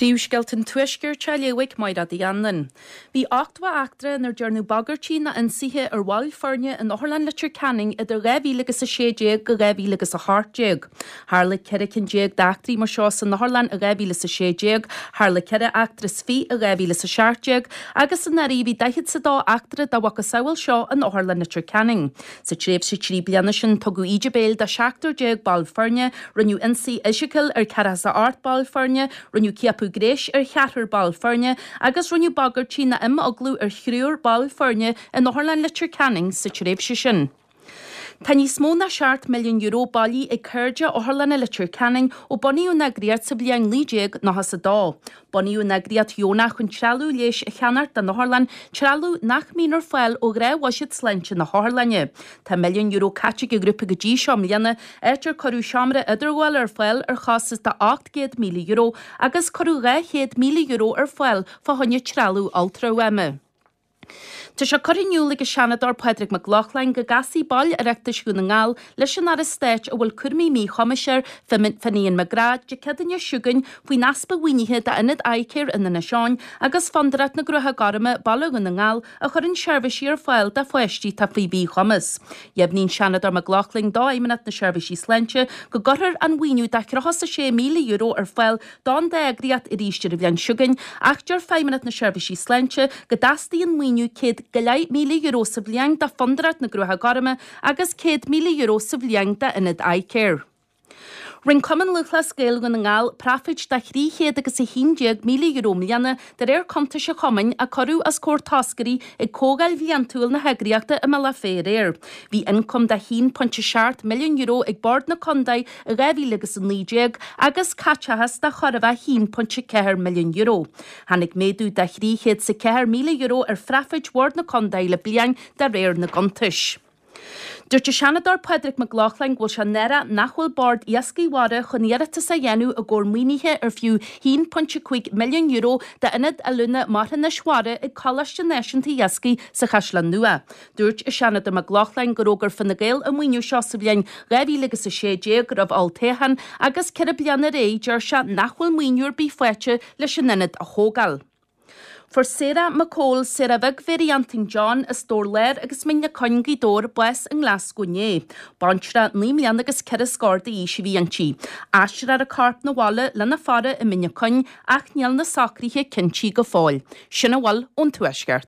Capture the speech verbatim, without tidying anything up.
Príomhscéalta an Tuaiscirt á léamh ag Máire Uí Anluain. Bhí ochtó eachtra inar dearnadh bagairtí nó ionsaithe ar bhaill foirne in Otharlann Leitir Ceanainn idir dhá mhíle agus a sé déag go dhá mhíle agus a hocht déag. Tharla ceithre cinn déag d'eachtraí mar seo san Otharlann i dhá mhíle is a sé déag, tharla ceithre eachtra is fiche i dhá mhíle is a seacht déag agus anuraidh bhí daichead is a dó eachtra dá mhacasamhail seo in Otharlann Leitir Ceanainn. Sa tréimhse trí bliana sin tugadh íde béil do seachtar déag ball foirne, rinneadh ionsaí fhisiciúil ar ceathracha is a ocht ball foirne, rinneadh ciapadh gnéis ar cheathrar ball foirne agus rinneadh bagairtí nó imeaglú ar thriúr ball foirne in Otharlann Leitir Ceanainn sa tréimhse sin. Tá níos mó ná seacht milliún euro bailithe ag Cairde Otharlanna Leitir Ceanainn ó bunaíodh an eagraíocht sa bhliain naoi déag nócha is a dó. Bunaíodh an eagraíocht dheonach chun trealamh leighis a cheannacht don otharlann, trealamh nach mbíonn ar fáil ó ghnáthbhuiséad sláinte na hotharlainne. Tá milliún euro caite ag an ghrúpa go dtí seo i mbliana, áit ar cuireadh seomra idirghabhála ar fáil ar chostas de ocht gcéad míle euro agus cuireadh dhá chéad míle euro ar fáil fá choinne trealamh ultrafhuaime. Tá sé curtha in iúl ag an Seanadóir Pádraig Mac Lochlainn go gcasfaidh baill Oireachtais Dhún na nGall leis an Aire Stáit a bhfuil cúraimí míchumais air, Finian McGrath, Dé Céadaoine seo chugainn faoin easpa mhaoinithe d'Ionad iCare in Inis Eoghain agus Fondúireacht na gCruacha Gorma, Baile Dhún na nGall, a chuireann seirbhísí ar fáil do pháistí atá faoi mhíchumas. Dheimhnigh an Seanadóir Mac Lochlainn do Fheidhmeannacht na Seirbhísí Sláinte go gcuirfear an mhaoiniú de thríocha is a sé míle euro ar fáil don dá eagraíocht arís ar an bhliain seo chugainn ach deir Feidhmeannacht na Seirbhísí Sláinte go dteastaíonn maoiniú céad go leith míle euro sa bhliain do Fondúireacht na gCruacha Gorma agus céad míle euro sa bhliain d'Ionad iCare. Rinne Cumann Lúthchleas Gael Dhún na nGall praifid de thrí chéad agus a haon déag míle euro i mbliana de réir cuntais an chumainn a cuireadh os comhair toscairí ag comhdháil bhliantúil na heagraíochta i mBealach Féich aréir. Bhí ioncam de haon pointe seacht milliún euro ag Bord na Contae i dhá mhíle agus a naoi déag agus caiteachas de chóir a bheith haon pointe ceathair milliún euro. Tháinig méadú de thrí chéad is a ceathair míle euro ar phraifid Bhord na Contae le bliain de réir na gcuntais. Dúirt an Seanadóir Pádraig Mac Lochlainn go bhfuil sé náireach nach bhfuil Bord Iascaigh Mhara chun iarratas a dhéanamh i gcomhair maoinithe ar fiú haon pointe cúig milliún euro d'Ionad Oiliúna Marthanais Mhara ag Coláiste Náisiúnta Iascaigh sa Chaisleán Nua. Dúirt an Seanadóir Mac Lochlainn gur fhógair Fine Gael an maoiniú seo sa bhliain dhá mhíle agus a sé déag roimh olltoghchán agus ceithre bliana ar aghaidh deir sé nach bhfuil maoiniú ar bith faighte leis an ionad a thógáil. Fuair Sarah McCole, Sarah Bheag Mhéirí Antain John as Dobhar Láir agus Mín na Coinn Gaoth Dobhair bás i nGlascó inné. Baintreach naoi mbliana agus ceithre scór d'aois a bhí inti. Aistreofar a corp 'na bhaile lena faire i Mín na Coinn ach níl na socruithe cinntithe go fóill. Sin a bhfuil ón Tuaisceart.